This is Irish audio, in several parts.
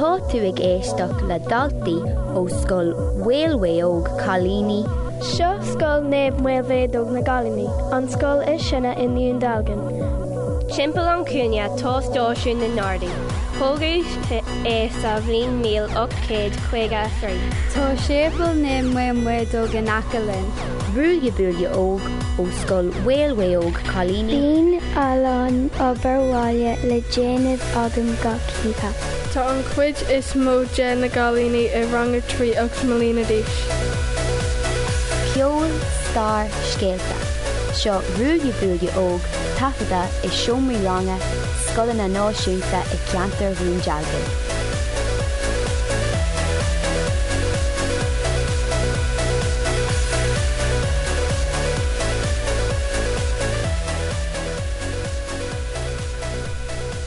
Tá tú ag éisteacht le daltaí ó Scoil Mhaolmhaodhóg Cailíní. Seo Scoil Naomh Maolmhaodhóg na gCailíní, an scoil is sine i nDún Dealgan. Timpeall an chúinne tá Stáisiún na nGardaí. Tógadh é sa bhliain 1853. Tá Séipéal Naomh Maolmhaodhóg in aice linn. Ruaille Buaille Óg ó Scoil Mhaolmhaodhóg Cailíní. Bíonn a lán obair bhaile le déanamh agam gach oíche. Tá an chuid is mó de na gcailíní i rang a 3 8 mbliana d'aois. Ceol, stair, scéalta. Seo Ruaille Buaille Óg taifeadta i seomraí ranga scoileanna náisiúnta i gceantar Dhún Dealgan.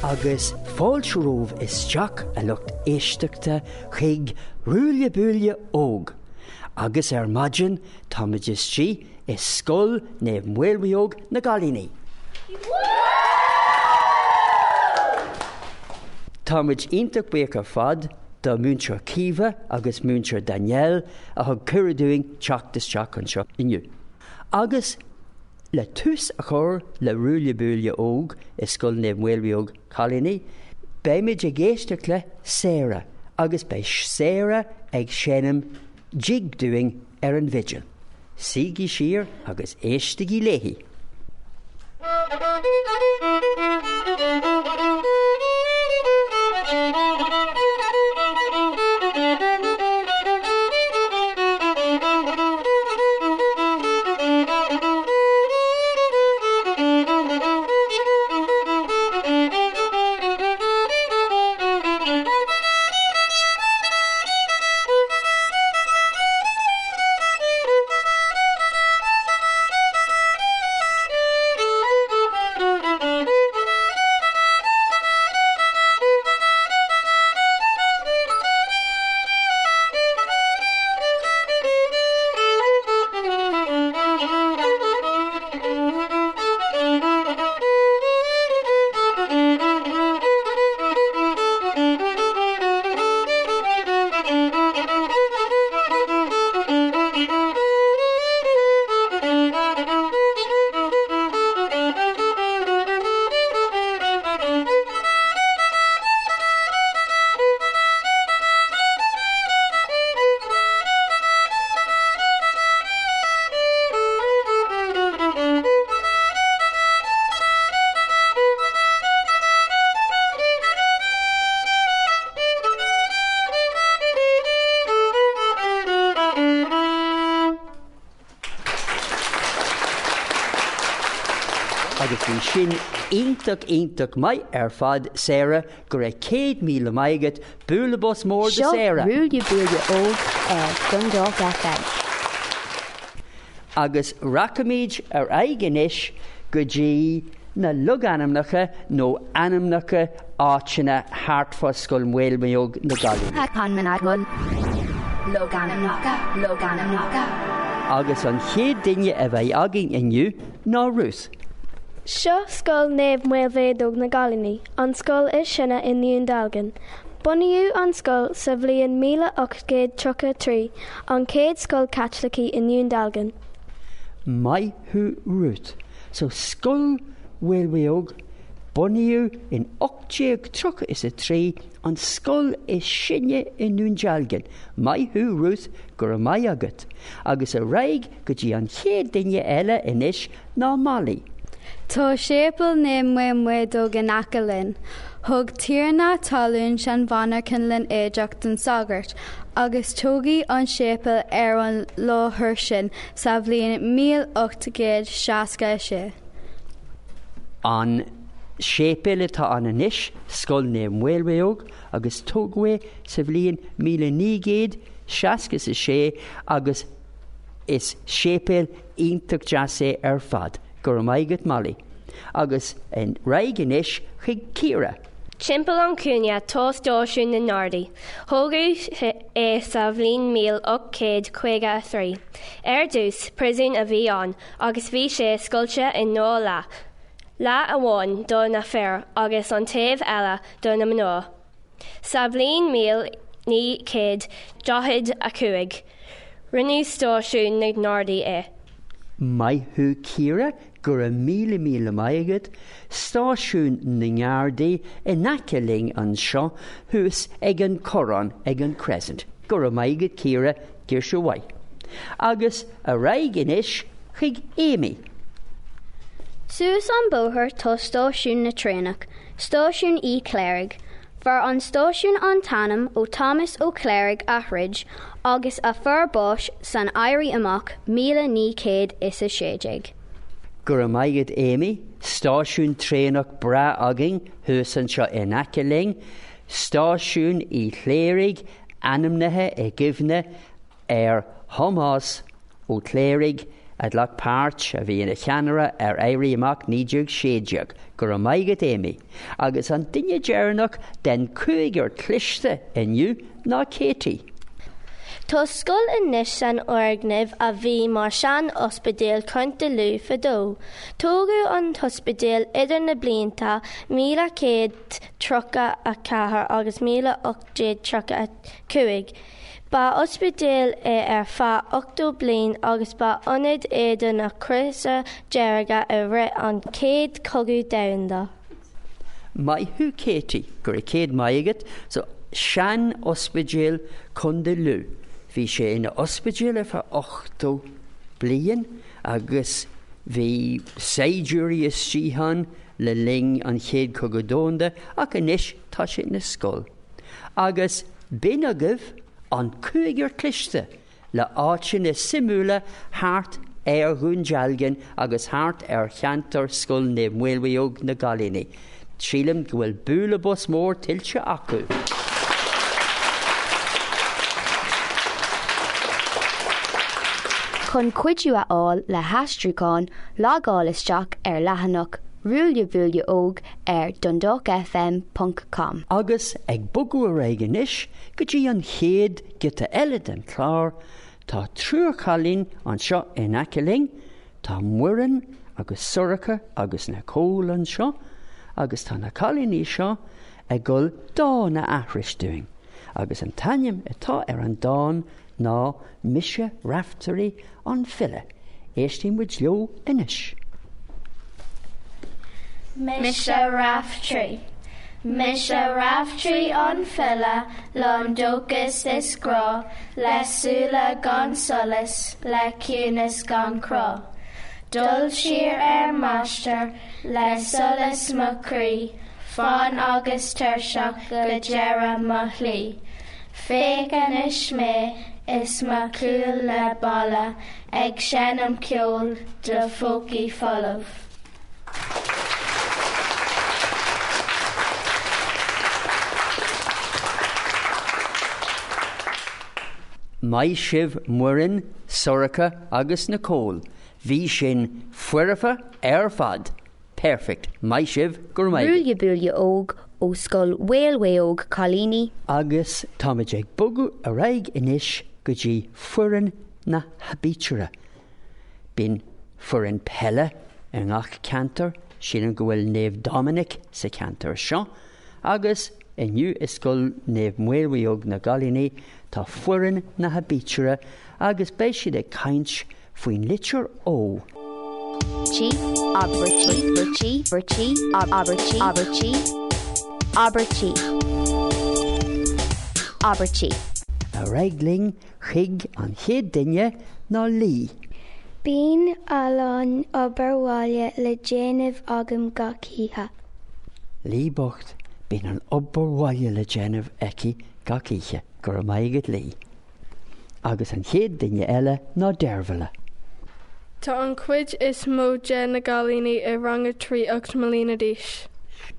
Agus fáilte romhaibh isteach, a lucht éisteachta, chuig Ruaille Buaille Óg. Agus ar maidin táimid istigh i Scoil Naomh Maolmhaodhóg na gCailíní. Táimid iontach buíoch ar fad do Múinteoir Caoimhe agus Múinteoir Danielle a thug cuireadh dúinn teacht isteach anseo inniu. Agus le tús a chur le Ruaille Buaille Óg i Scoil Naomh Maolmhaodhóg Cailíní, beimid ag éisteacht le Sarah agus beidh Sarah ag seinm jig dúinn ar an bhfidil. Suígí siar agus éistigí léi! Agus bhí sin iontach iontach maith ar fad Sarah, go raibh 100,000 maith agat, bualadh bos mór do Seo Sarah! Ruaille Buaille Óg ar Dundalk FM. Agus rachaimid ar aghaidh anois go dtí na logainmneacha nó ainmneacha áiteanna thart fá Scoil Mhaolmhaodhóg na gCailíní. Logainmneacha, logainmneacha. Agus an chéad duine a bheidh againn inniu ná Ruth. Seo Scoil Naomh Maolmhaodhóg na gCailíní, an scoil is sine i nDún Dealgan. Bunaíodh an scoil sa bhliain 1833, an chéad scoil Chaitlicigh i nDún Dealgan. Maith thú Ruth. So Scoil Mhaolmhaodhóg, bunaíodh in 1833, an scoil is sine i nDún Dealgan. Maith thú Ruth, go raibh maith agat. Agus ar aghaidh go dtí an chéad duine eile anois ná Molly. Tá Séipéal Naomh Maolmhaodhóg in aice linn. Thug tiarna talún seanmhonarcha Linn Éadrach don sagart, agus tógadh an séipéal ar an láthair sin sa bhliain 1866. An séipéal atá ann anois, Scoil Naomh Maolmhaodhóg, agus tógadh é sa bhliain 1966 agus is séipéal iontach deas é ar fad. Go raibh maith agat Molly. Agus ar aghaidh anois chuig Ciara. Timpeall an chúinne tá Stáisiún na nGardaí. Tógadh é sa bhliain 1853. Ar dtús, príosún a bhí ann agus bhí sé scoilte i ndá leath, leath amháin do na fir agus an taobh eile do na mná. Sa bhliain 1945, rinneadh Stáisiún na nGardaí é. Maith thú Ciara, go raibh míle míle maith agat, Stáisiún na nGardaí in aice linn anseo thuas ag an Corrán ag an Crescent. Go raibh maith agat Ciara, girseach mhaith. Agus ar aghaidh anois chuig Amy. Suas an bóthar tá stáisiún na traenach, Stáisiún Uí Chléirigh. Fuair an stáisiún an t-ainm ó Thomas Ó Cléirigh a throid agus a fuair bás san Éirí Amach 1916. Go raibh maith agat Amy, stáisiún traenach breá againn thuas anseo in aice linn, Stáisiún Uí Chléirigh ainmnithe i gcuimhne ar Thomás Ó Cléirigh a ghlac páirt, a bhí ina cheannaire ar Éirí Amach 1916. Go raibh maith agat Amy. Agus an duine deireanach den cúigear cliste inniu ná Katie. Tá scoil anois san fhoirgneamh a bhí mar sean-ospidéal Chontae Lú fadó. Tógadh an t-ospidéal idir na blianta 1134 agus 1835. Ba ospidéal é ar feadh 80 bliain agus ba ionad é do na Crosa Dearga i rith an Chéad Chogadh Domhanda. Maith thú Katie, go raibh céad maith agat. So, sean-ospidéal Contae Lú. Bhí sé ina ospidéal ar feadh 80 bliain agus bhí saighdiúirí istigh ann le linn an Chéad Chogadh Domhanda ach anois tá sé ina scoil. Agus b'in agaibh an cúigear cliste le áiteanna suimiúla thart ar Dhún Dealgan agus thart ar cheantar Scoil Naomh Maolmhaodhóg na gCailíní. Sílim go bhfuil bualadh bos mór tuillte acu! Chun cuidiú a fháil le haistriúchán, logáil isteach ar leathanach Ruaille Buaille Óg ar dundalkfm ponc com. Agus ag bogadh ar aghaidh anois go dtí an chéad giota eile den chlár, tá triúr cailín anseo in aice linn, tá Muireann agus Sorcha agus Nicole anseo agus tá na cailíní seo ag dul dán a aithris dúinn agus an t-ainm atá ar an dán ná Mise Raiftearaí an File. Éistfidh muid leo anois. Mise Raiftearaí. Mise Raiftearaí an file, lán dóchas is grá, le súile gan solas, le ciúnas gan crá. Dul siar ar m'aistear, le solas mo chroí, fann agus tuirseach go deireadh mo shlí. Féach anois mé is mo chúl le balla ag seinm ceoil do phócaí folamh. Maith sibh Muireann, Sorcha agus Nicole. Bhí sin foirfe ar fad! Perfect. Maith sibh, go raibh maith agat. Ruaille Buaille Óg ó Scoil Mhaolmhaodhóg Cailíní. Agus táimid ag bogadh ar aghaidh anois go dtí foireann na haibítire. Bíonn foireann peile i ngach ceantar, sílim go bhfuil Naomh Dominic sa cheantar seo, agus inniu i Scoil Naomh Maolmhaodhóg na gCailíní tá foireann na haibítire agus beidh siad ag caint faoin litir O. Tí, abairtí, abairtí, abairtí, abairtí, abairtí, abairtí, abairtí. Ar aghaidh linn chuig an chéad duine ná Lee. Bíonn a lán obair bhaile le déanamh agam gach oíche. Lee bocht, bíonn an obair bhaile le déanamh aici gach oíche. Go raibh maith agat Lee. Agus an chéad duine eile ná Deirbhile. Tá an chuid is mó de na gcailíní i rang a 3 8 mbliana d'aois.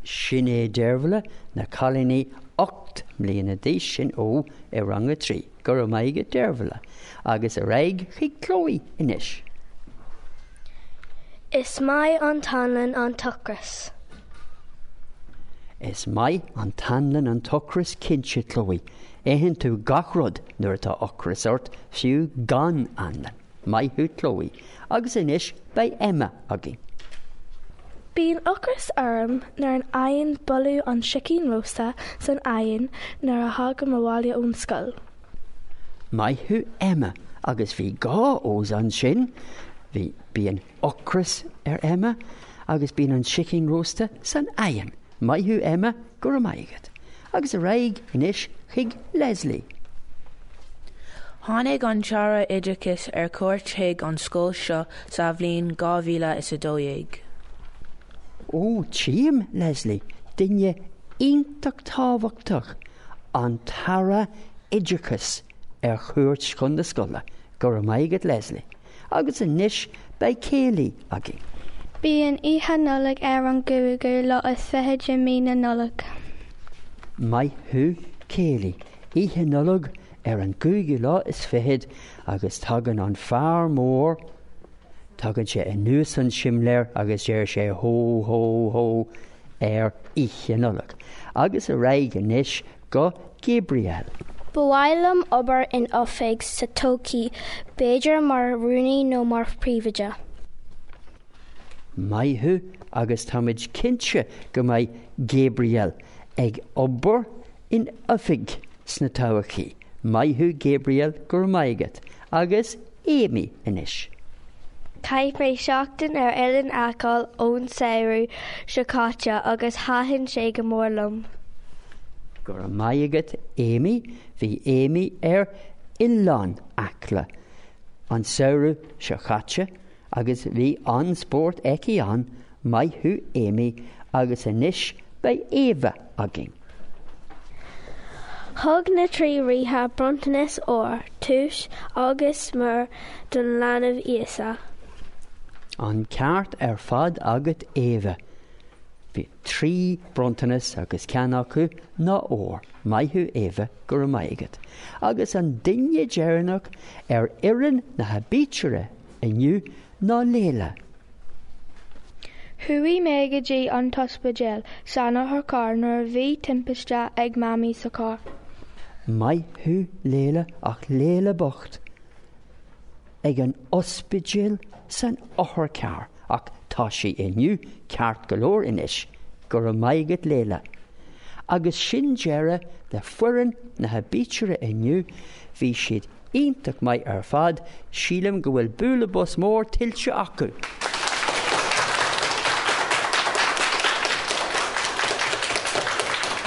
Sin é Deirbhile, na cailíní 8 mbliana d'aois, sin O i rang a 3. Go raibh maith agat Deirbhile. Agus ar aghaidh chuig Chloe anois. Is maith an t-anlann an t-ocras. Is maith an t-anlann an t-ocras cinnte, Chloe. Itheann tú gach rud nuair atá ocras ort, fiú gan anlann. Maith thú Chloe. Agus anois beidh Emma againn. Bíonn ocras orm nuair an fhaigheann boladh an sicín rósta san oigheann nuair a thagaim abhaile ón scoil. Maith thú Emma agus bhí dhá O's ansin, bhí bíonn ocras ar Emma agus bíonn an sicín rósta san oigheann. Maith thú Emma, go raibh maith agat. Agus ar aghaidh anois chuig Leslie. Tháinig an tAire Oideachais ar cuairt chuig an scoil seo sa bhliain 2012. Ó, tchím, Leslie, duine iontach tábhachtach, an tAire Oideachais ar chuairt chun na scoile. Go raibh maith agat Leslie. Agus anois beidh Kayleigh againn. Bíonn Oíche Nollag ar an gcúigiú lá is fiche de mí na Nollag. Maith thú Kayleigh. Oíche Nollag ar an gcúigiú lá is fichead agus tagann an fear mór, tagann sé anuas an simléar agus deir sé hó hó hó ar Oíche Nollag. Agus ar aghaidh anois go Gabriel. Ba mhaith liom obair in oifig sa todhchaí, b'fhéidir mar rúnaí nó mar phríomhoide. Maith thú agus táimid cinnte go mbeidh Gabriel ag obair in oifig sna todhchaí. Maith thú Gabriel, go raibh maith agat. Agus Amy anois. Chaith mé seachtain ar Oileán Acaill ón samhradh seo caite agus thaitin sé go mór liom. Go raibh maith agat Amy, bhí Amy ar Oileán Acla an samhradh seo caite agus bhí an-spórt aici ann, maith thú Amy agus anois beidh Éabha againn. Thug na trí ríthe bronntanas ór, túis agus miorr don leanbh Íosa. An ceart ar fad agat Éabha. Bhí trí bronntanas agus ceann acu ná ór. Maith thú Éabha, go raibh maith agat. Agus an duine deireanach ar fhoireann na haibítire inniu ná Léila. Chuaigh mé go dtí an t-ospidéal san otharcharr nuair a bhí timpiste ag Mamaí sa charr. Maith thú Léila ach Léila bocht ag an ospidéal san otharcharr ach tá sí inniu ceart go leor anois. Go raibh maith agat Léila. Agus sin deireadh le foireann na haibítire inniu, bhí siad iontach maith ar fad, sílim go bhfuil bualadh bos mór tuillte acu!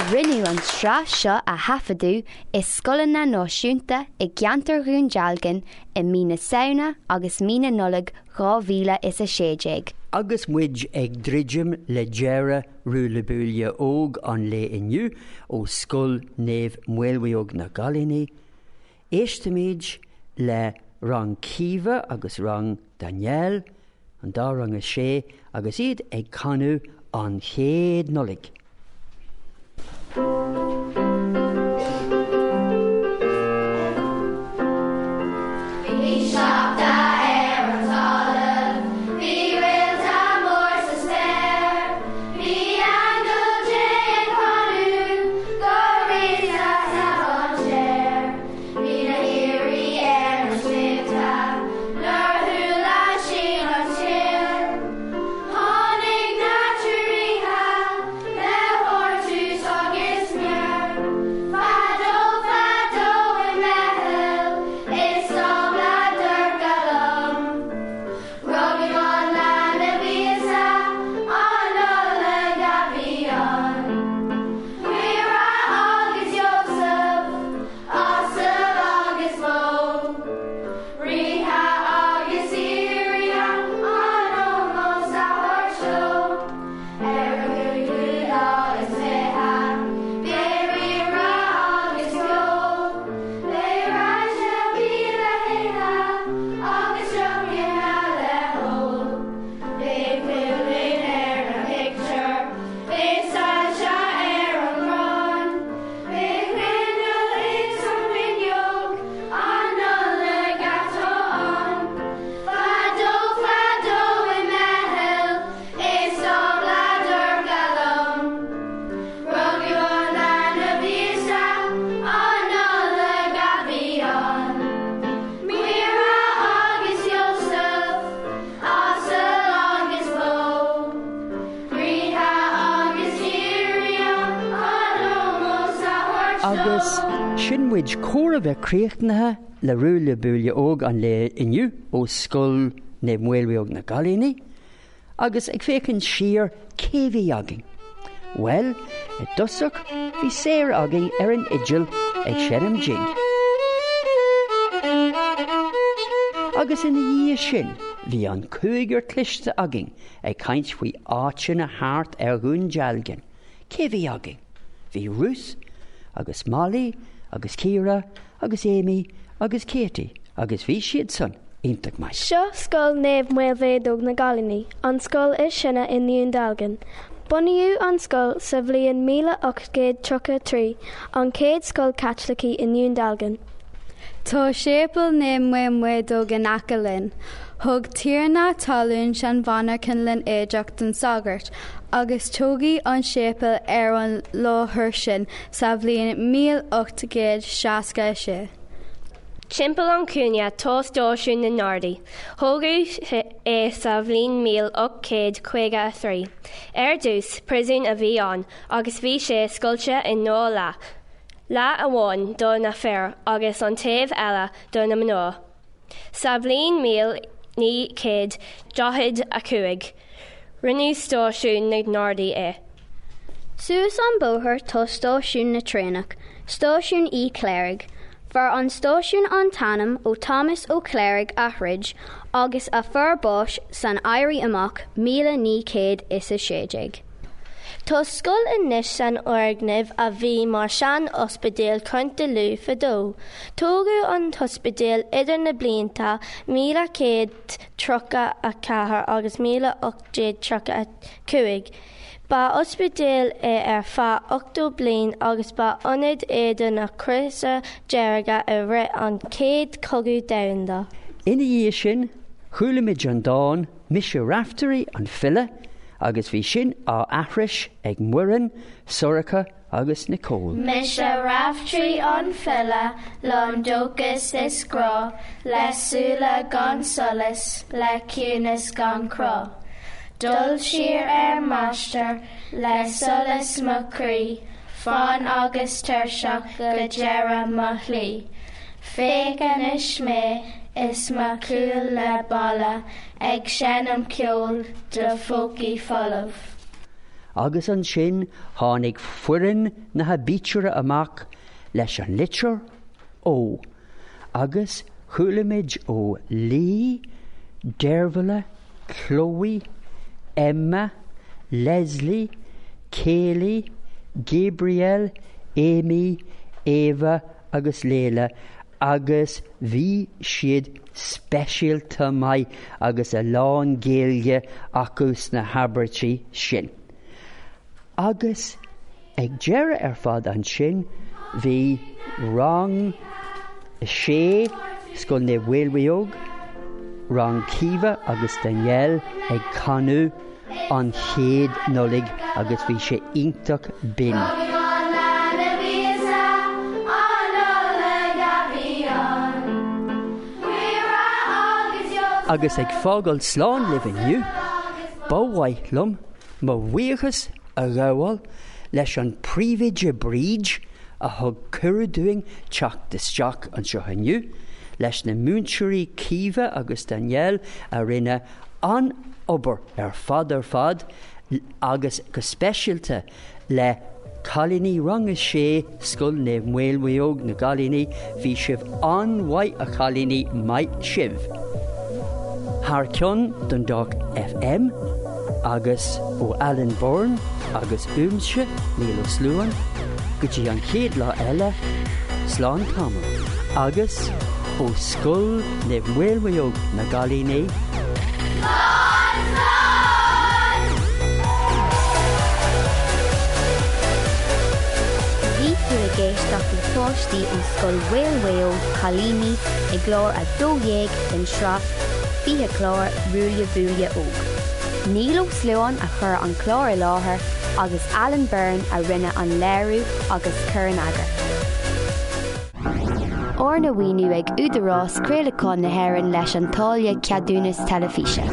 Rinneadh an tsraith seo a thaifeadadh i scoileanna náisiúnta i gceantar Dhún Dealgan i mí na Samhna agus mí na Nollag 2016. Agus muid ag druidim le deireadh Ruaille Buaille Óg an lae inniu ó Scoil Naomh Maolmhaodhóg na gCailíní, Éistimid le rang Caoimhe agus rang Danielle, an dá rang a sé, agus iad ag canadh An Chéad Nollaig. Bhí sneachta ar an talamh, bhí réalta mór sa spéir, bhí aingeal Dé ag canadh go ríosa sa mhainséar. Bhí na haoirí ar na sléibhte nuair a chuala siad an scéal. Tháinig na trí ríthe le Agus sin muid chóir a bheith críochnaithe le Ruaille Buaille Óg an lae inniu ó Scoil Naomh Maolmhaodhóg na gCailíní. Agus ag féachaint siar, cé bhí againn? Bhuel, i dtosach bhí Sarah againn ar an fhidil ag seinm jig. Agus ina dhiaidh sin bhí an cúigear cliste againn ag caint faoi áiteanna thart ar Dhún Dealgan. Cé bhí againn? Bhí Ruth agus Molly agus Ciara agus Amy agus Katie agus bhí siadsan iontach maith. Seo Scoil Naomh Maolmhaodhóg na gCailíní, an scoil is sine i nDún Dealgan. Bunaíodh an scoil sa bhliain 1833, an chéad scoil Chaitlicigh i nDún Dealgan. Tá Séipéal Naomh Maolmhaodhóg in aice linn. Thug tiarna talún seanmhonarchan linn éadach don sagart, agus tógadh an séipéal ar an láthair sin sa bhliain 1866. Timpeall an chúinne tá Stáisiún na nGardaí. Tógadh é sa bhliain 1853. Ar dtús, príosún a bhí ann agus bhí sé scoilte i ndá leath, leath amháin do na fir agus an taobh eile do na mná. Sa bhliain 1945, rinneadh Stáisiún na nGardaí é. Suas an bóthar tá stáisiún na traenach, Stáisiún Uí Chléirigh. Fuair an stáisiún an t-ainm ó Thomas Ó Cléirigh Athridge agus a fuair bás san Éirí Amach 1916. Tá scoil anois san fhoirgneamh a bhí mar sean-ospidéal Chontae Lú fadó. Tógadh an t-ospidéal idir na blianta 1134 agus 1835. Ba ospidéal é ar feadh 80 bliain agus ba ionad é do na Crosa Dearga i rith an Chéad Chogadh Domhanda. Ina dhiaidh sin, chuala muid an dán 'Mise Raiftearaí an File' agus bhí sin á aithris ag Muireann, Sorcha agus Nicole. Mise Raiftearaí an file, lán dóchas is grá, le súile gan solas, le ciúnas gan crá. Dul siar ar m'aistear, le solas mo chroí, fann agus tuirseach go deireadh mo shlí. Féach anois mé is mo chúl le balla, ag seinm ceoil do phócaí folamh. Agus ansin tháinig foireann na haibítire amach leis an litir O agus chuala muid ó Lee, Deirbhile, Chloe, Emma, Leslie, Kayleigh, Gabriel, Amy, Ava agus Layla agus bhí siad speisialta maith agus a lán Gaeilge acu sna habairtí sin. Agus ag deireadh ar fad ansin bhí rang a sé, Scoil Naomh Maolmhaodhóg, rang Caoimhe agus Danielle ag canadh an chéad Nollaig agus bhí sé iontach binn. Agus ag fágáil slán libh inniu, ba mhaith liom mo bhuíochas a ghabháil leis an Príomhoide Bríd a thug cuireadh dúinn teacht isteach anseo inniu, leis na múinteoirí Caoimhe agus Danielle a rinne an-obair ar fad ar fad agus go speisialta le cailíní rang a sé Scoil Naomh Maolmhaodhóg na gCailíní, bhí sibh an-mhaith a chailíní, maith sibh! Thar ceann Dundalk FM agus ó Alan Byrne agus uaimse, Niall Ó Sluain, go dtí an chéad lá eile, slán tamall agus ó Scoil Naomh Maolmhaodhóg na gCailíní, Slán slán! Bhí tú ag éisteacht le páistí ó Scoil Mhaolmhaodhóg Cailíní i gclár 12 den sraith 20 clár Ruaille Buaille Óg. Niall Ó Sluain a chuir an clár i láthair agus Alan Byrne a rinne an léiriú agus cur in eagar. Arna mhaoiniú ag Údarás Craolacháin na hÉireann leis an táille Ceadúnas Teilifíse.